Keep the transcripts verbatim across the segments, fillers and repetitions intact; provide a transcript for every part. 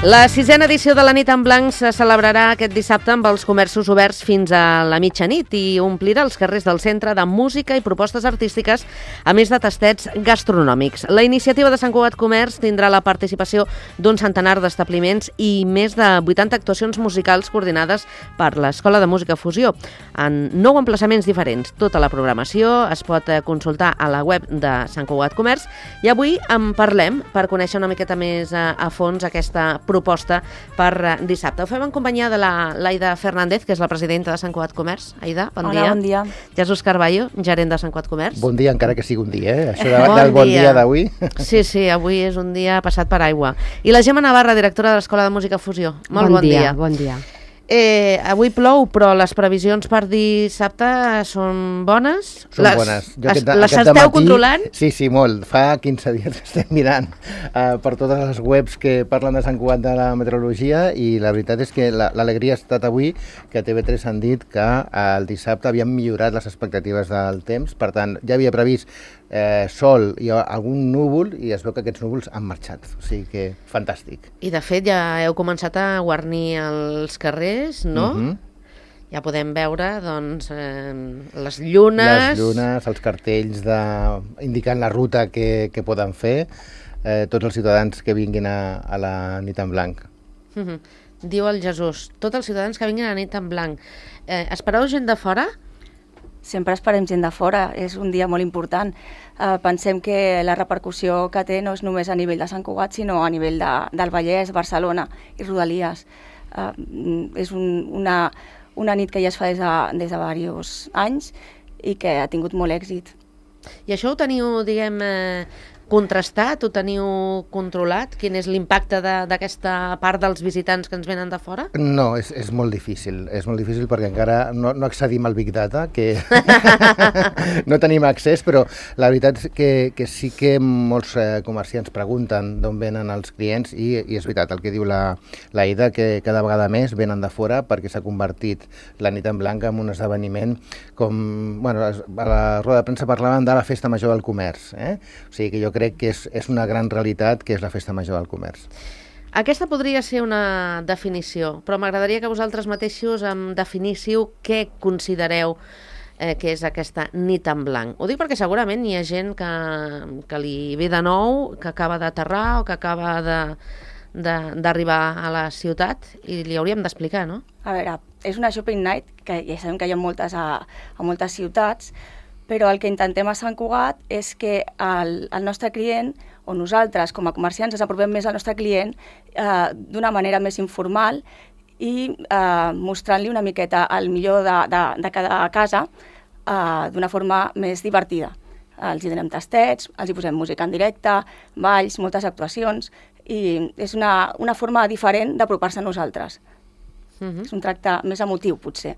La sisena edició de la Nit en Blanc se celebrarà aquest dissabte amb els comerços oberts fins a la mitjanit i omplirà els carrers del centre de música i propostes artístiques, a més de tastets gastronòmics. La iniciativa de Sant Cugat Comerç tindrà la participació d'un centenar d'establiments i més de vuitanta actuacions musicals coordinades per l'Escola de Música Fusió, en nou emplaçaments diferents. Tota la programació es pot consultar a la web de Sant Cugat Comerç i avui en parlem per conèixer una miqueta més a, a fons aquesta proposta per dissabte. Ho fem en companyia de la l'Aida Fernández, que és la presidenta de Sant Cugat Comerç. Aida, bon Hola, dia. bon dia. Jesús Carballo, gerent de Sant Cugat Comerç. Bon dia, encara que sigui un dia, eh? Això de, bon del bon dia, dia d'avui. Sí, sí, avui és un dia passat per aigua. I la Gemma Navarra, directora de l'Escola de Música Fusió. Molt bon, bon dia. dia. Bon dia. Eh, avui plou, però les previsions per dissabte són bones? Són les, bones. Jo es, aquest, les aquest esteu dematí, controlant? Sí, sí, molt. Fa quinze dies que estem mirant uh, per totes les webs que parlen de Sant Cugat de la meteorologia i la veritat és que l'alegria la, ha estat avui que a T V tres han dit que uh, el dissabte havien millorat les expectatives del temps, per tant, ja havia previst eh, sol i algun núvol i es veu que aquests núvols han marxat, o sigui que fantàstic. I de fet ja heu començat a guarnir els carrers, no? Uh-huh. Ja podem veure, doncs, eh, les llunes... Les llunes, els cartells de... indicant la ruta que, que poden fer eh, tots els ciutadans que vinguin a, a la Nit en Blanc. Uh-huh. Diu el Jesús, tots els ciutadans que vinguin a la Nit en Blanc. Eh, espereu gent de fora? Sempre esperem gent de fora, és un dia molt important. Uh, pensem que la repercussió que té no és només a nivell de Sant Cugat, sinó a nivell de, del Vallès, Barcelona i Rodalies. Uh, és un, una, una nit que ja es fa des de, des de diversos anys i que ha tingut molt èxit. I això ho teniu, diguem, eh, contrastat, ho teniu controlat? Quin és l'impacte d'aquesta part dels visitants que ens venen de fora? No, és, és molt difícil, és molt difícil perquè encara no, no accedim al Big Data, que no tenim accés, però la veritat és que, que sí que molts eh, comerciants pregunten d'on venen els clients i, i és veritat el que diu la, la Ida, que cada vegada més venen de fora perquè s'ha convertit la Nit en Blanc en un esdeveniment com, bueno, a la roda de premsa parlaven de la Festa Major del Comerç, eh? O sigui que jo crec que és, és una gran realitat que és la Festa Major del Comerç. Aquesta podria ser una definició, però m'agradaria que vosaltres mateixos em definíssiu què considereu eh, que és aquesta Nit en Blanc. Ho dic perquè segurament hi ha gent que, que li ve de nou, que acaba d'aterrar o que acaba de d'arribar a la ciutat i li hauríem d'explicar, no? A veure, és una shopping night, que ja sabem que hi ha moltes a, a moltes ciutats, però el que intentem a Sant Cugat és que el, el nostre client, o nosaltres com a comerciants ens apropem més al nostre client eh, d'una manera més informal i eh, mostrant-li una miqueta el millor de, de, de cada casa eh, d'una forma més divertida. Els hi donem tastets, els hi posem música en directe, balls, moltes actuacions, i és una, una forma diferent d'apropar-se a nosaltres. Uh-huh. És un tracte més emotiu, potser.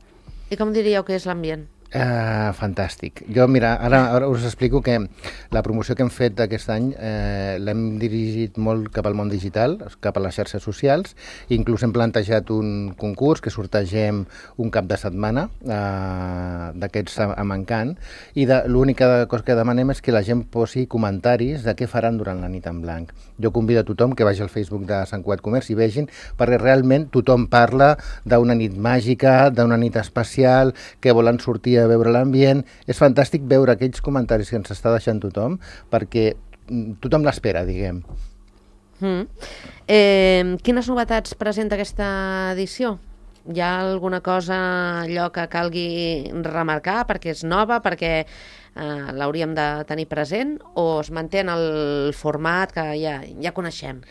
I com diríeu que és l'ambient? Uh, fantàstic. Jo, mira, ara, ara us explico que la promoció que hem fet aquest any eh, l'hem dirigit molt cap al món digital, cap a les xarxes socials, inclús hem plantejat un concurs que sortegem un cap de setmana eh, d'aquests a, a Mancant, i l'única cosa que demanem és que la gent posi comentaris de què faran durant la Nit en Blanc. Jo convido a tothom que vagi al Facebook de Sant Cugat Comerç i vegin, perquè realment tothom parla d'una nit màgica, d'una nit especial, que volen sortir a veure l'ambient. És fantàstic veure aquells comentaris que ens està deixant tothom, perquè tothom l'espera, diguem. Mm. Eh, quines novetats presenta aquesta edició? Hi ha alguna cosa allò que calgui remarcar perquè és nova, perquè eh, l'hauríem de tenir present, o es manté en el format que ja, ja coneixem?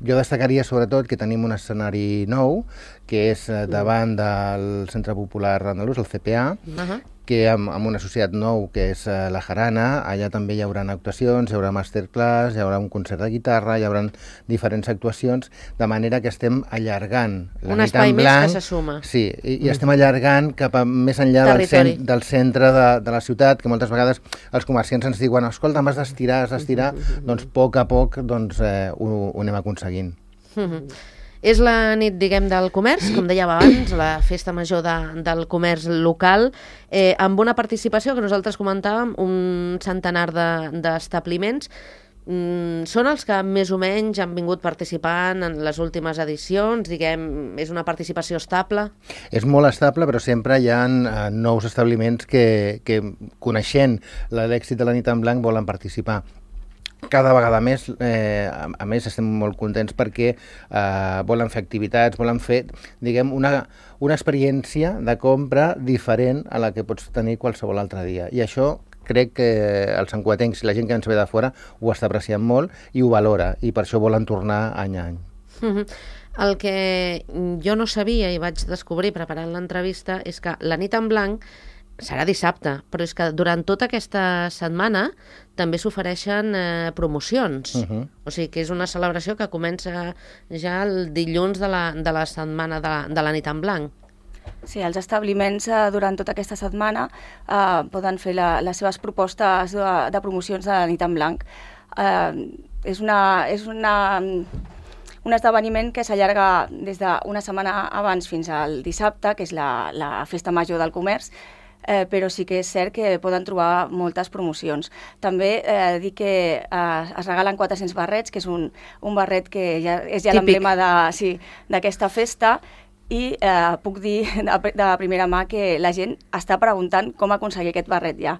Jo destacaria sobretot que tenim un escenari nou, que és davant del Centre Popular Andalús, el C P A, uh-huh. que amb, amb una societat nou que és uh, la Jarana, allà també hi haurà actuacions, hi haurà masterclass, hi haurà un concert de guitarra, hi haurà diferents actuacions, de manera que estem allargant la un Nit en Blanc. Un espai més que se suma. Sí, i, i estem allargant cap a més enllà del, cent, del centre de, de la ciutat, que moltes vegades els comerciants ens diuen, escolta, m'has d'estirar, has d'estirar, doncs a poc a poc doncs, eh, ho, ho anem aconseguint. Mm-hmm. És la nit, diguem, del comerç, com dèiem abans, la festa major de, del comerç local, eh, amb una participació que nosaltres comentàvem, un centenar d'establiments, de, Mm, són els que més o menys han vingut participant en les últimes edicions, diguem, és una participació estable? És molt estable, però sempre hi ha uh, nous establiments que, que coneixent l'èxit de la nit en blanc volen participar. Cada vegada més, eh, a, a més estem molt contents perquè eh, volen fer activitats, volen fer, diguem, una, una experiència de compra diferent a la que pots tenir qualsevol altre dia. I això crec que els santcugatencs i la gent que ens ve de fora ho està apreciant molt i ho valora, i per això volen tornar any a any. Mm-hmm. El que jo no sabia i vaig descobrir preparant l'entrevista és que la nit en blanc serà dissabte, però és que durant tota aquesta setmana també s'ofereixen eh, promocions. Uh-huh. O sigui que és una celebració que comença ja el dilluns de la, de la setmana de, de la nit en blanc. Sí, els establiments eh, durant tota aquesta setmana eh, poden fer la, les seves propostes de, de promocions de la nit en blanc. Eh, és una, és una, un esdeveniment que s'allarga des d'una setmana abans fins al dissabte, que és la, la festa major del comerç, eh, però sí que és cert que poden trobar moltes promocions. També eh, dir que eh, es regalen quatre-cents barrets, que és un, un barret que ja, és ja l'emblema d'aquesta festa, i eh, puc dir de, de primera mà que la gent està preguntant com aconseguir aquest barret ja.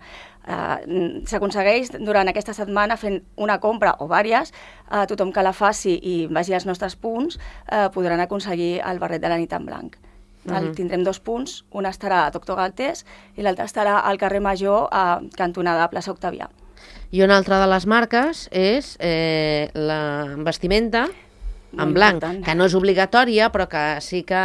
Eh, S'aconsegueix durant aquesta setmana fent una compra o vàries, eh, tothom que la faci i vagi als nostres punts eh, podran aconseguir el barret de la nit en blanc. Uh-huh. El, tindrem dos punts, un estarà a Doctor Galtés i l'altre estarà al carrer Major a cantonada Plaça Octavià. I una altra de les marques és eh, la vestimenta en blanc, important, que no és obligatòria, però que sí que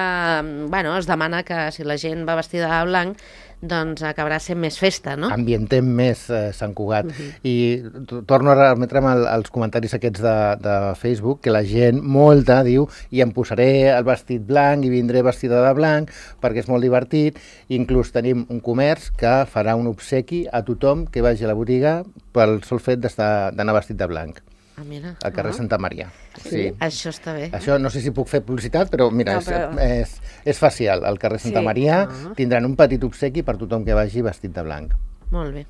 bueno, es demana que si la gent va vestida de blanc doncs acabarà sent més festa, no? Ambientem més eh, Sant Cugat. Uh-huh. I torno a remetre'm als comentaris aquests de, de Facebook, que la gent, molta, diu, i em posaré el vestit blanc i vindré vestida de blanc perquè és molt divertit. Inclús tenim un comerç que farà un obsequi a tothom que vagi a la botiga pel sol fet d'anar vestit de blanc. Ah, mira. Al carrer ah. Santa Maria. Sí. Sí. Això està bé. Això no sé si puc fer publicitat, però mira, no, però... És, és, és facial. Al carrer Santa sí. Maria ah. tindran un petit obsequi per tothom que vagi vestit de blanc. Molt bé.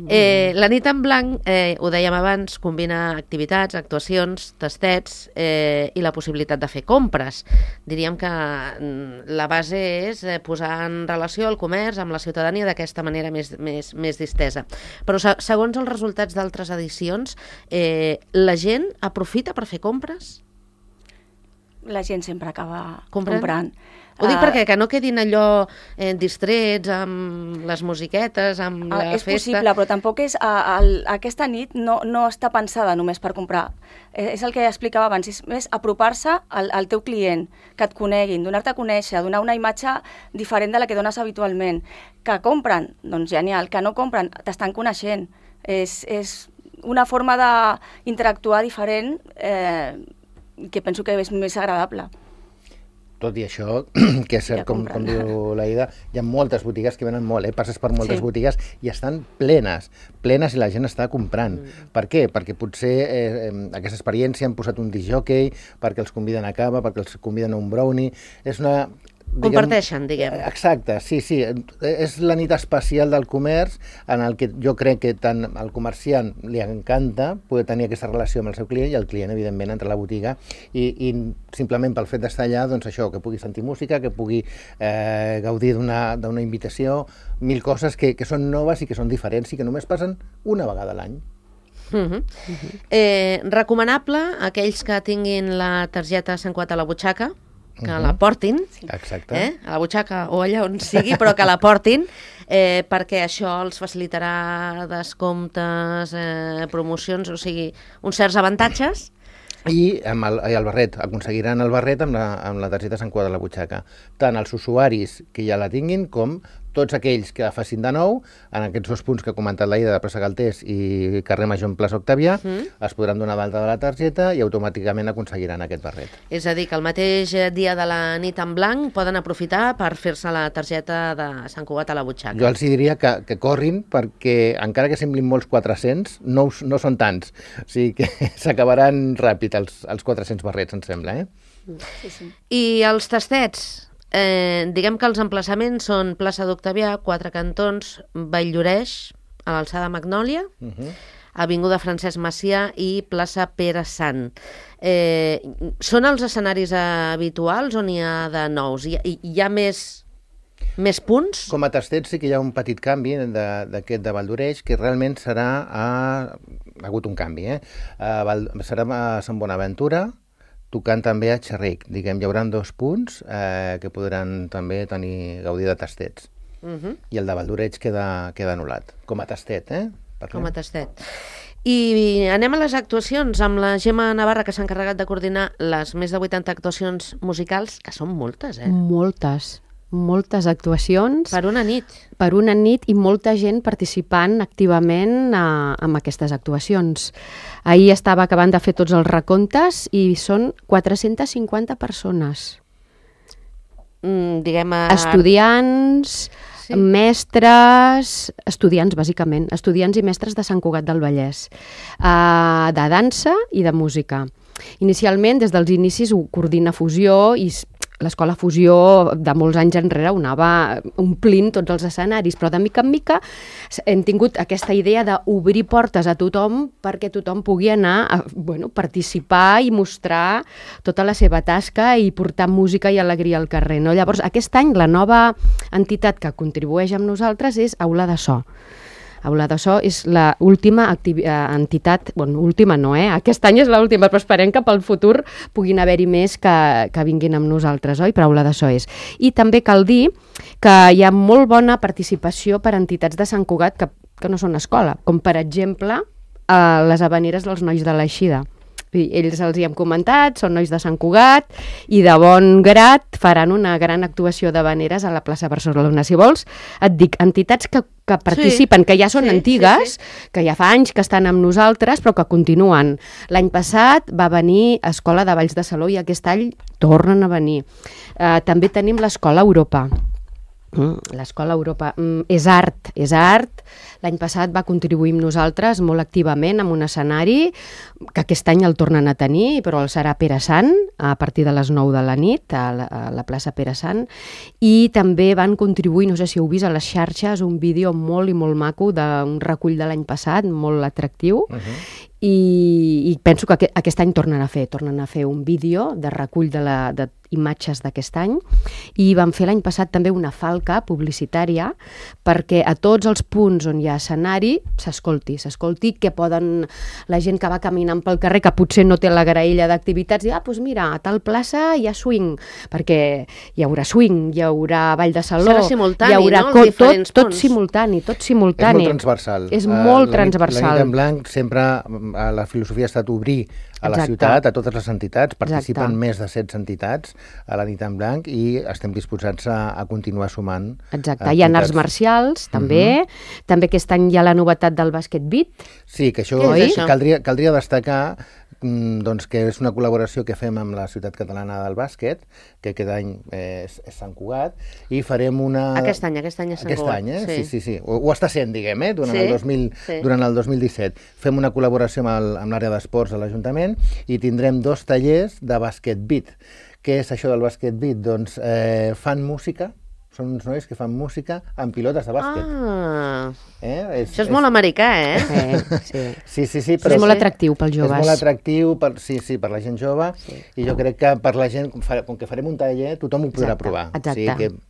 Eh, la nit en blanc, eh, ho dèiem abans, combina activitats, actuacions, tastets eh, i la possibilitat de fer compres. Diríem que la base és eh, posar en relació el comerç amb la ciutadania d'aquesta manera més, més, més distesa. Però segons els resultats d'altres edicions, eh, la gent aprofita per fer compres? La gent sempre acaba comprant. comprant. Ho dic perquè que no quedin allò eh, distrets amb les musiquetes, amb la és festa... És possible, però tampoc és... A, a, aquesta nit no, no està pensada només per comprar. És, és el que explicava abans, és més apropar-se al, al teu client, que et coneguin, donar-te a conèixer, donar una imatge diferent de la que dones habitualment. Que compren, doncs genial. Que no compren, t'estan coneixent. És, és una forma d'interactuar diferent eh, que penso que és més agradable. Tot i això, que és cert, com, com diu l'Aida, hi ha moltes botigues que venen molt, eh? Passes per moltes sí. botigues i estan plenes, plenes i la gent està comprant. Mm. Per què? Perquè potser eh, aquesta experiència han posat un discjockey, perquè els conviden a cava, perquè els conviden a un brownie. És una... Diguem, comparteixen, diguem. Exacte, sí, sí. És la nit especial del comerç en el que jo crec que tant al comerciant li encanta poder tenir aquesta relació amb el seu client i el client, evidentment, entra a la botiga i, i simplement pel fet d'estar allà, doncs això, que pugui sentir música, que pugui eh, gaudir d'una d'una invitació, mil coses que, que són noves i que són diferents i que només passen una vegada a l'any. Uh-huh. Uh-huh. Eh, recomanable a aquells que tinguin la targeta Sant Cugat a la butxaca, que uh-huh. la portin, exacte. Eh? A la butxaca o allà on sigui, però que la portin, eh, perquè això els facilitarà descomptes, eh, promocions, o sigui, uns certs avantatges. I amb el, i el barret, aconseguiran el barret amb la, amb la targeta Sant Cugat a la butxaca. Tant els usuaris que ja la tinguin com tots aquells que la facin de nou, en aquests dos punts que ha comentat l'Aida de Plaça Galtés i carrer Major en Plaça Octavià, mm. es podran donar d'alta de la targeta i automàticament aconseguiran aquest barret. És a dir, que el mateix dia de la nit en blanc poden aprofitar per fer-se la targeta de Sant Cugat a la butxaca. Jo els diria que, que corrin perquè, encara que semblin molts quatre-cents, no, no són tants. O sigui que s'acabaran ràpid els, els quatre-cents barrets, em sembla. Eh? Sí, sí. I els tastets? Eh, diguem que els emplaçaments són plaça d'Octavià, Quatre Cantons, Vall-lloreix, a l'alçada Magnòlia. Uh-huh. Avinguda Francesc Macià i plaça Pere Sant. Eh, són els escenaris habituals o n'hi ha de nous? Hi, hi ha més, més punts? Com a tastet sí que hi ha un petit canvi d'aquest de Vall d'Oreix, que realment serà a... ha hagut un canvi, eh? A Val... serà a Sant Bonaventura, tocant també a Xerric. Diguem, hi haurà dos punts eh, que podran també tenir gaudir de tastets. Uh-huh. I el de Vall d'Oreix queda, queda anul·lat, com a tastet, eh? Com a tastet. I anem a les actuacions amb la Gemma Navarra, que s'ha encarregat de coordinar les més de vuitanta actuacions musicals, que són moltes, eh? Moltes, moltes actuacions. Per una nit. Per una nit i molta gent participant activament a, en aquestes actuacions. Ahir estava acabant de fer tots els recomptes i són quatre-centes cinquanta persones. Mm, diguem... A... Estudiants... Sí. Mestres, estudiants, bàsicament, estudiants i mestres de Sant Cugat del Vallès, uh, de dansa i de música. Inicialment, des dels inicis, ho coordina Fusió i l'escola Fusió de molts anys enrere ho anava omplint tots els escenaris, però de mica en mica hem tingut aquesta idea d'obrir portes a tothom perquè tothom pugui anar a bueno, participar i mostrar tota la seva tasca i portar música i alegria al carrer. No? Llavors, aquest any la nova entitat que contribueix amb nosaltres és Aula de So. Aula de So és l'última entitat, bueno, última no, eh? Aquest any és l'última, però esperem que pel futur puguin haver-hi més que, que vinguin amb nosaltres, oi? Però Aula de So és. I també cal dir que hi ha molt bona participació per entitats de Sant Cugat que, que no són escola, com per exemple eh, les Havaneres dels Nois de l'Eixida. Ells els hi hem comentat, són nois de Sant Cugat i de bon grat faran una gran actuació d'havaneres a la plaça Barcelona. Si vols, et dic, entitats que, que participen, sí, que ja són sí, antigues, sí, sí. que ja fa anys que estan amb nosaltres, però que continuen. L'any passat va venir Escola de Balls de Saló i aquest any tornen a venir. Uh, també tenim l'Escola Europa. Mm, l'Escola Europa mm, és art, és art. L'any passat va contribuir amb nosaltres molt activament amb un escenari que aquest any el tornen a tenir, però el serà Pere Sant a partir de les nou de la nit a la, a la plaça Pere Sant, i també van contribuir, no sé si heu vist a les xarxes, un vídeo molt i molt maco d'un recull de l'any passat, molt atractiu. Uh-huh. I, i penso que aquest, aquest any tornen a fer, tornen a fer un vídeo de recull de, la, de imatges d'aquest any, i van fer l'any passat també una falca publicitària perquè a tots els punts on hi ha escenari s'escolti, s'escolti que poden, la gent que va caminant pel carrer que potser no té la graella d'activitats, dir, ah, doncs mira, a tal plaça hi ha swing, perquè hi haurà swing, hi haurà ball de saló, serà simultani, hi haurà no? Co- tot, tot simultani, tot simultani. És molt transversal. És molt uh, transversal. La nit en blanc sempre, la filosofia ha estat obrir a la Exacte. ciutat, a totes les entitats, participen Exacte. més de setze entitats a la nit en blanc i estem disposats a, a continuar sumant. Exacte, hi ha arts marcials també, uh-huh. també aquest any hi ha la novetat del bàsquet beat. Sí, que això, això? Caldria, caldria destacar doncs, que és una col·laboració que fem amb la Ciutat Catalana del Bàsquet, que aquest any és, és Sant Cugat, i farem una... Aquest any, aquest any és Sant aquest Cugat. Any, eh? Sí, sí, sí. sí. Ho, ho està sent, diguem, eh? durant, sí, el dos mil, sí. durant el dos mil disset. Fem una col·laboració amb, el, amb l'àrea d'esports de l'Ajuntament i tindrem dos tallers de bàsquet beat. Què és això del bàsquet beat? Doncs eh, fan música, són uns nois que fan música amb pilotes de bàsquet. Ah, eh? és, això és, és molt americà, eh? Sí, sí. sí, sí, sí però és molt atractiu pels joves. És molt atractiu, per, sí, sí, per la gent jove, sí. i jo crec que per la gent, com que farem un taller, tothom ho podrà Exacte, provar. Exacte. O sigui que...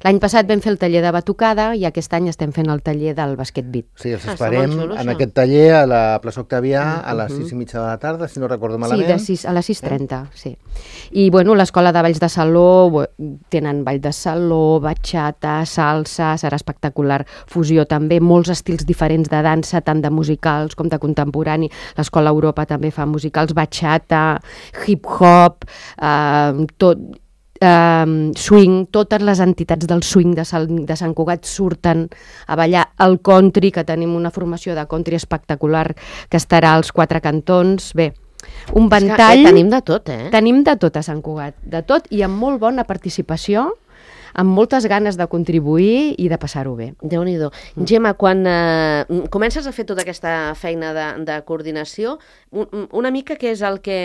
L'any passat vam fer el taller de batucada i aquest any estem fent el taller del bàsquet beat. Sí, els esperem ah, xulo, en aquest taller a la plaça Octavià uh-huh. a les sis i mitja de la tarda, si no recordo malament. Sí, de sis, a les sis i trenta, eh? sí. I bueno, l'escola de balls de saló, tenen ball de saló, batxata, salsa, serà espectacular. Fusió també, molts estils diferents de dansa, tant de musicals com de contemporani. L'escola Europa també fa musicals, batxata, hip-hop, eh, tot... Uh, swing, totes les entitats del swing de, Sal, de Sant Cugat surten a ballar el country, que tenim una formació de country espectacular que estarà als quatre cantons. Bé, un ventall... Que, eh, tenim de tot, eh? Tenim de tot a Sant Cugat, de tot, i amb molt bona participació, amb moltes ganes de contribuir i de passar-ho bé. Déu-n'hi-do. Mm. Gemma, quan eh, comences a fer tota aquesta feina de, de coordinació, un, una mica què és el que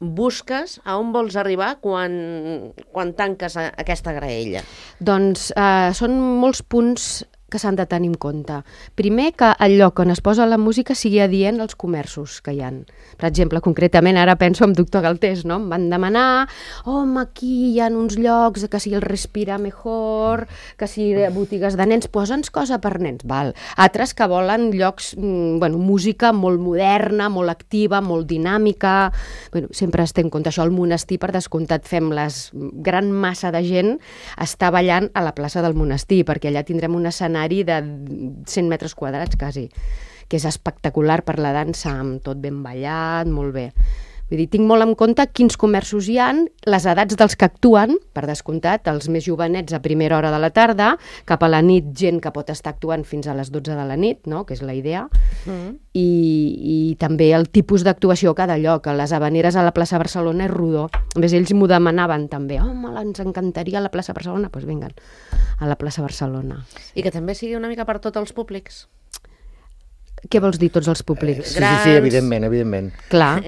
busques, a on vols arribar quan, quan tanques a, aquesta graella? Doncs eh, són molts punts que s'han de tenir en compte. Primer, que el lloc on es posa la música sigui adient als comerços que hi ha. Per exemple, concretament, ara penso en Doctor Galtés, no? Em van demanar, home, aquí hi ha uns llocs que si el respira mejor, que si botigues de nens, posa'ns cosa per nens. Val. Altres que volen llocs, bueno, música molt moderna, molt activa, molt dinàmica. Bueno, sempre es té en compte això. Al monestir, per descomptat, fem les gran massa de gent està ballant a la plaça del monestir, perquè allà tindrem un escenari de cent metres quadrats, quasi, que és espectacular per la dansa, amb tot ben ballat, molt bé. Vull dir, tinc molt en compte quins comerços hi han, les edats dels que actuen, per descomptat, els més jovenets a primera hora de la tarda, cap a la nit gent que pot estar actuant fins a les dotze de la nit, no? Que és la idea, mm. I, i també el tipus d'actuació a cada lloc. A les Havaneres a la plaça Barcelona és rodó. A més, ells m'ho demanaven també. Home, ens encantaria la plaça Barcelona. Doncs pues vinguen, a la plaça Barcelona. I que també sigui una mica per tots els públics. Què vols dir, tots els públics? Sí, sí, sí, evidentment, evidentment. Clar.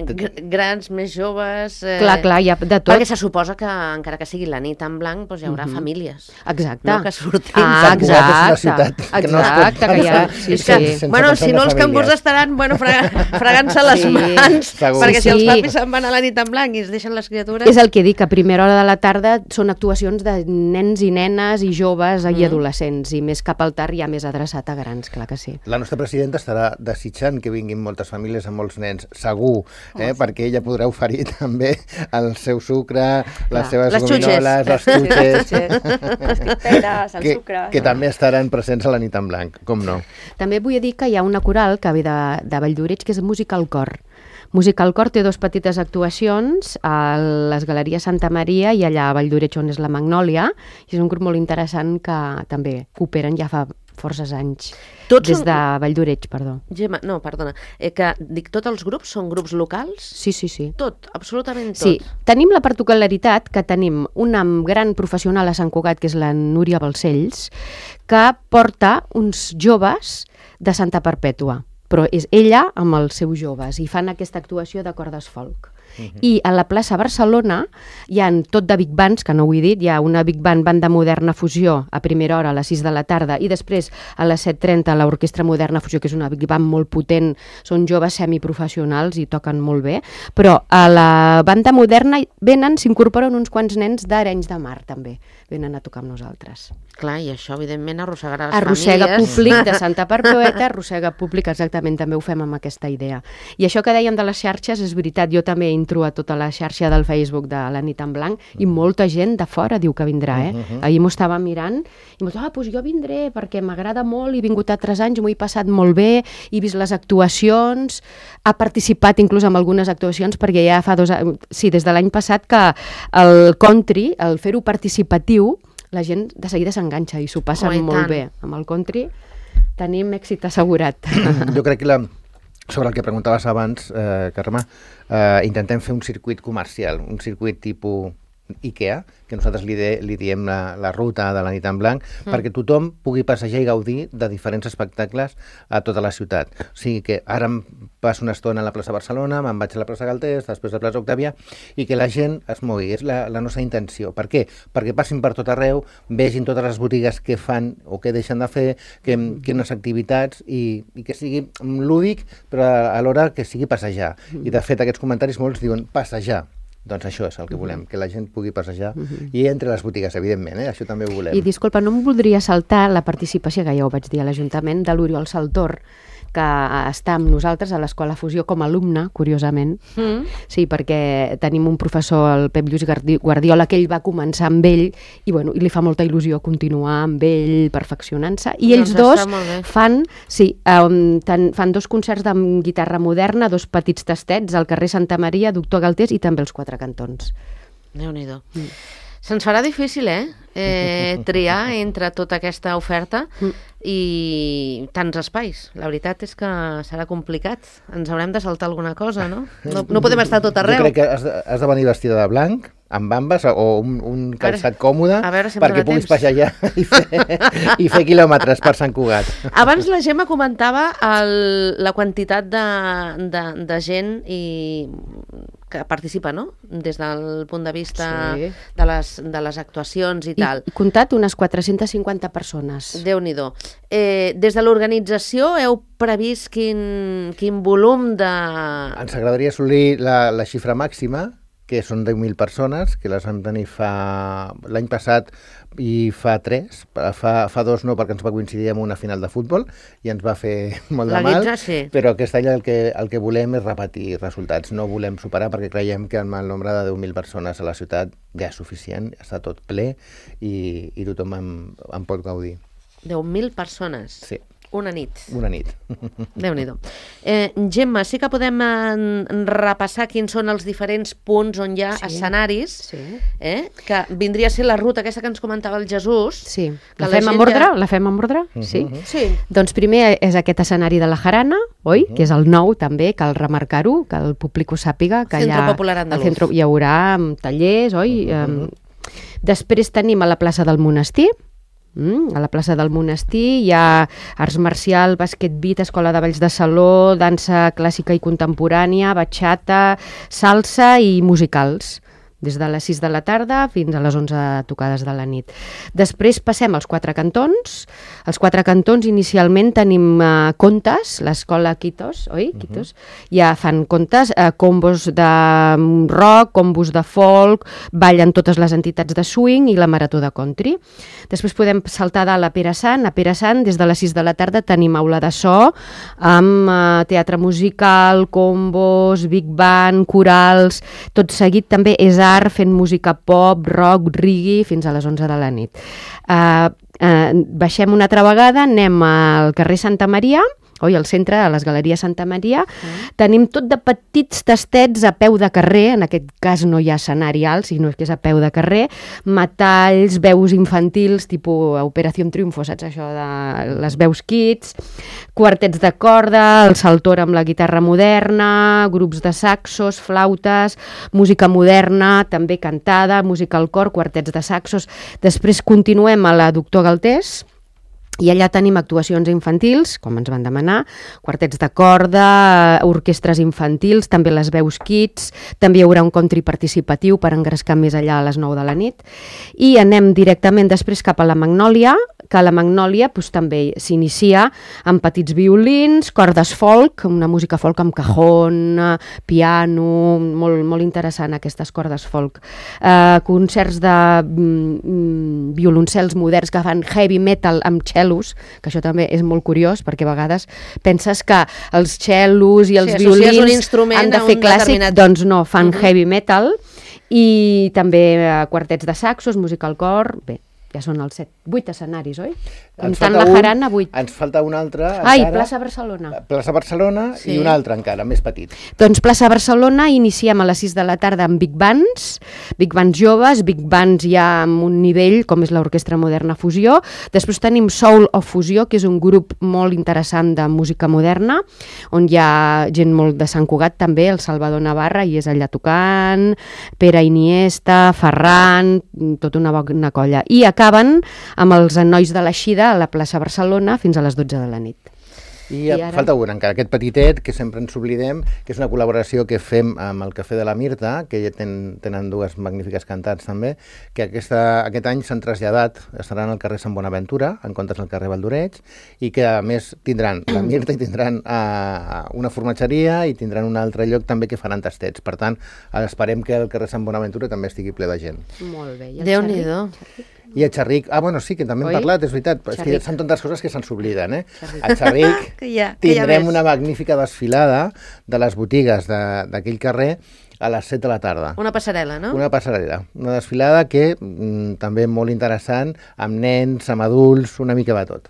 Grans, més joves... Eh... Clar, clar, hi ha de tot. Perquè se suposa que, encara que sigui la nit en blanc, doncs hi haurà uh-huh. famílies. Exacte. No, que surtin. Ah, exacte. És una ciutat que no es pot... Exacte, que hi ha... Sí, és que, sí. bueno, si no, els cangurs estaran bueno, fregant-se les sí. mans, segur. Perquè si sí. els papis se'n van a la nit en blanc i es deixen les criatures... És el que dic, a primera hora de la tarda són actuacions de nens i nenes i joves mm. i adolescents, i més cap al tard ja més adreçat a grans, clar que sí. La nostra presidenta estarà desitjant que vinguin moltes famílies amb molts nens, segur, eh? Oh, perquè ella podrà oferir també el seu sucre, les seves les gominoles, les xutxes, les criperes, el que, sucre... que també estaran presents a la nit en blanc, com no. També vull dir que hi ha una coral que ve de, de Valldoreix, que és Música al Cor. Música al Cor té dues petites actuacions a les Galeries Santa Maria i allà a Valldoreix, on és la Magnòlia, i és un grup molt interessant que també cooperen ja fa forces anys. Tots des són... de Valldoreix, perdó. Gemma, no, perdona. Eh, que dic, tots els grups són grups locals? Sí, sí, sí. Tot, absolutament tot. Sí, tenim la particularitat que tenim una gran professional a Sant Cugat, que és la Núria Balcells, que porta uns joves de Santa Perpètua, però és ella amb els seus joves, i fan aquesta actuació de cordes folk. Uh-huh. I a la plaça Barcelona hi ha tot de big bands, que no ho he dit, hi ha una big band, banda moderna fusió a primera hora a les sis de la tarda, i després a les set trenta l'orquestra moderna fusió, que és una big band molt potent, són joves semiprofessionals i toquen molt bé, però a la banda moderna venen, s'incorporen uns quants nens d'Arenys de Mar també, venen a tocar amb nosaltres. Clar, i això evidentment arrossegarà les arrossega famílies. Públic de Santa Perpètua, arrossega públic, exactament, també ho fem amb aquesta idea. I això que dèiem de les xarxes és veritat, jo també entro a tota la xarxa del Facebook de la nit en blanc i molta gent de fora diu que vindrà, eh? Uh-huh. Ahir m'ho estava mirant i m'ho ah, doncs jo vindré perquè m'agrada molt, he vingut altres anys, m'ho he passat molt bé, he vist les actuacions, ha participat inclús en algunes actuacions perquè ja fa dos anys, sí, des de l'any passat que el country, el fer-ho participatiu, la gent de seguida s'enganxa i s'ho passa oh, molt bé. Amb el country tenim èxit assegurat. Jo crec que la, sobre el que preguntaves abans, eh, Carme, eh, intentem fer un circuit comercial, un circuit tipus IKEA, que nosaltres li, de, li diem la, la ruta de la nit en blanc, mm. perquè tothom pugui passejar i gaudir de diferents espectacles a tota la ciutat. O sigui que ara em passo una estona a la plaça Barcelona, me'n vaig a la plaça Galtés, després a la plaça Octàvia, i que la gent es mogui. És la, la nostra intenció. Per què? Perquè passin per tot arreu, vegin totes les botigues que fan o que deixen de fer, que, quines activitats, i, i que sigui lúdic, però alhora que sigui passejar. I de fet aquests comentaris molts diuen passejar. Doncs això és el que volem, que la gent pugui passejar uh-huh. i entre les botigues, evidentment, eh? Això també ho volem. I disculpa, no em voldria saltar la participació, que ja ho vaig dir a l'Ajuntament, de l'Oriol Saltor, que està amb nosaltres a l'Escola Fusió com a alumne, curiosament. Mm. Sí, perquè tenim un professor, el Pep Lluís Guardiola, que ell va començar amb ell i, bueno, i li fa molta il·lusió continuar amb ell, perfeccionant-se. I ells doncs dos fan, sí, um, tan, fan dos concerts de guitarra moderna, dos petits tastets al carrer Santa Maria, Doctor Galtés i també els Quatre Cantons. Déu-n'hi-do. Mm. Se'ns farà difícil, eh? eh? Triar entre tota aquesta oferta i tants espais. La veritat és que serà complicat. Ens haurem de saltar alguna cosa, no? No, no podem estar tot arreu. Jo crec que has de, has de venir vestida de blanc, amb bambes o un, un calçat còmode si perquè puguis passejar i fer, i fer quilòmetres per Sant Cugat. Abans la Gemma comentava el, la quantitat de, de, de gent i que participa, no? Des del punt de vista Sí. de, les, de les actuacions i, I, tal. I comptat unes quatre-centes cinquanta persones. Déu-n'hi-do. Eh, des de l'organització heu previst quin, quin volum de... Ens agradaria assolir la, la xifra màxima, que són deu mil persones, que les vam tenir fa l'any passat i fa tres. Fa, fa dos no, perquè ens va coincidir amb una final de futbol i ens va fer molt de La mal, guitza, sí. però aquest any el que, el que volem és repetir resultats. No volem superar perquè creiem que amb el nombre de deu mil persones a la ciutat ja és suficient, està tot ple i, i tothom en, en pot gaudir. deu mil persones. Sí. Una nit. Una nit. Déu-n'hi-do. Eh, Gemma, sí que podem eh, repassar quins són els diferents punts on hi ha Sí. escenaris, Sí. eh, que vindria a ser la ruta aquesta que ens comentava el Jesús. Sí. Que La la fem gent amb ordre? ja- La fem amb ordre? Sí. Sí. Doncs primer és aquest escenari de la Jarana, oi? Que és el nou també, cal remarcar-ho, que el públic ho sàpiga. Que Centro allà, Popular Andalús. al centro hi haurà mm, tallers, oi? Um, després tenim a la plaça del Monestir. Mm, a la plaça del Monestir hi ha arts marcial, bàsquet beat, escola de balls de saló, dansa clàssica i contemporània, batxata, salsa i musicals, des de les sis de la tarda fins a les onze tocades de la nit. Després passem als quatre cantons. Els quatre cantons inicialment tenim uh, contes, l'escola Quitos, oi? Uh-huh. Quitos. Ja fan contes, uh, combos de rock, combos de folk, ballen totes les entitats de swing i la marató de country. Després podem saltar de la Pere Sant. A Pere Sant, des de les sis de la tarda, tenim aula de so amb uh, teatre musical, combos, big band, corals. Tot seguit també és art fent música pop, rock, reggae, fins a les onze de la nit. Uh, uh, baixem una altra vegada, anem al carrer Santa Maria, oi, al centre, a les Galeries Santa Maria. Mm. Tenim tot de petits tastets a peu de carrer, en aquest cas no hi ha escenari alt, sinó que és a peu de carrer, metalls, veus infantils, tipus Operació Triunfo, saps això de les veus kids, quartets de corda, el saltor amb la guitarra moderna, grups de saxos, flautes, música moderna, també cantada, música al cor, quartets de saxos. Després continuem a la Doctor Galtés, i allà tenim actuacions infantils, com ens van demanar, quartets de corda, orquestres infantils, també les veus kids, també hi haurà un country participatiu per engrescar més allà a les nou de la nit. I anem directament després cap a la Magnòlia, que a la Magnòlia doncs, també s'inicia amb petits violins, cordes folk, una música folk amb cajón, piano, molt, molt interessant aquestes cordes folk. Eh, concerts de mm, violoncels moderns que fan heavy metal amb cellos, que això també és molt curiós, perquè a vegades penses que els cellos i els Sí, associes un violins instrument han de a fer un clàssic, determinat- doncs no, fan Mhm. heavy metal, i també eh, quartets de saxos, música al cor, bé, ja són els set, vuit escenaris, oi? Ens Comptant falta la un- Jarana, vuit. Ens falta un altre Ai, encara. plaça Barcelona. Plaça Barcelona Sí. i un altre encara, més petit. Doncs plaça Barcelona iniciem a les sis de la tarda amb big bands, big bands joves, big bands ja amb un nivell com és l'Orquestra Moderna Fusió. Després tenim Soul of Fusió, que és un grup molt interessant de música moderna, on hi ha gent molt de Sant Cugat també, el Salvador Navarra, i és allà tocant, Pere Iniesta, Ferran, tota una bona colla. I acaben amb els nois de l'Eixida a la plaça Barcelona fins a les dotze de la nit. I, I I ara? falta un encara, aquest petitet, que sempre ens oblidem, que és una col·laboració que fem amb el Cafè de la Mirta, que ja ten, tenen dues magnífiques cantants també, que aquesta, aquest any s'han traslladat, estaran al carrer Sant Bonaventura, en comptes del carrer Valdoreig, i que a més tindran la Mirta i tindran uh, una formatgeria i tindran un altre lloc també que faran tastets. Per tant, esperem que el carrer Sant Bonaventura també estigui ple de gent. Molt bé. I el Déu-n'hi-do. I a Xerric, ah, bueno, sí, que també hem Oi? parlat, és veritat, és que Xerric. són tantes coses que se'n s'obliden, eh? A Xerric Que ja, que ja tindrem ves. una magnífica desfilada de les botigues de- d'aquell carrer a les set de la tarda. Una passarel·la, no? Una passarel·la, una desfilada que mm, també molt interessant, amb nens, amb adults, una mica de tot.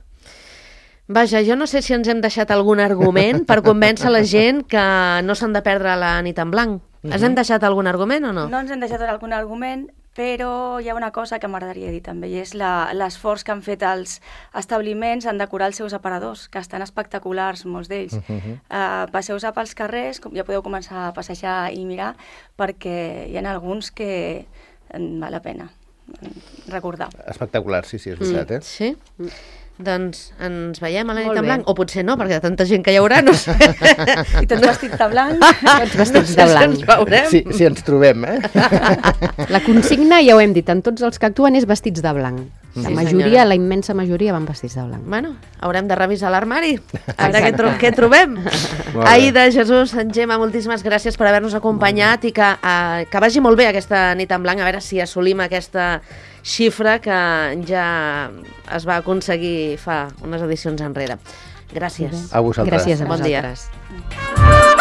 Vaja, jo no sé si ens hem deixat algun argument per convèncer la gent que no s'han de perdre la nit en blanc. Ens hem deixat algun argument o no? No ens hem deixat algun argument, però hi ha una cosa que m'agradaria dir també, i és la- l'esforç que han fet els establiments en decorar els seus aparadors, que estan espectaculars, molts d'ells. Uh -huh. uh, Passeu-se pels carrers, com ja podeu començar a passejar i mirar, perquè hi ha alguns que mm, val la pena mm, recordar. Espectacular, sí, sí, és veritat, eh? Sí? Doncs ens veiem a la nit Molt en bé. blanc, o potser no, perquè de tanta gent que hi haurà, no sé. I tots vestits de blanc. Tots vestits de blanc. Ens veurem. Si, si ens trobem, eh? La consigna, ja ho hem dit, en tots els que actuen és vestits de blanc. La Sí, majoria, senyora. la immensa majoria van vestits de blanc. Bueno, haurem de revisar l'armari, a veure què, tro què trobem. Molt bé. Aida, Jesús, Gemma, moltíssimes gràcies per haver-nos acompanyat i que, uh, que vagi molt bé aquesta nit en blanc, a veure si assolim aquesta xifra que ja es va aconseguir fa unes edicions enrere. Gràcies. A vosaltres. Gràcies a Bon dia. vosaltres.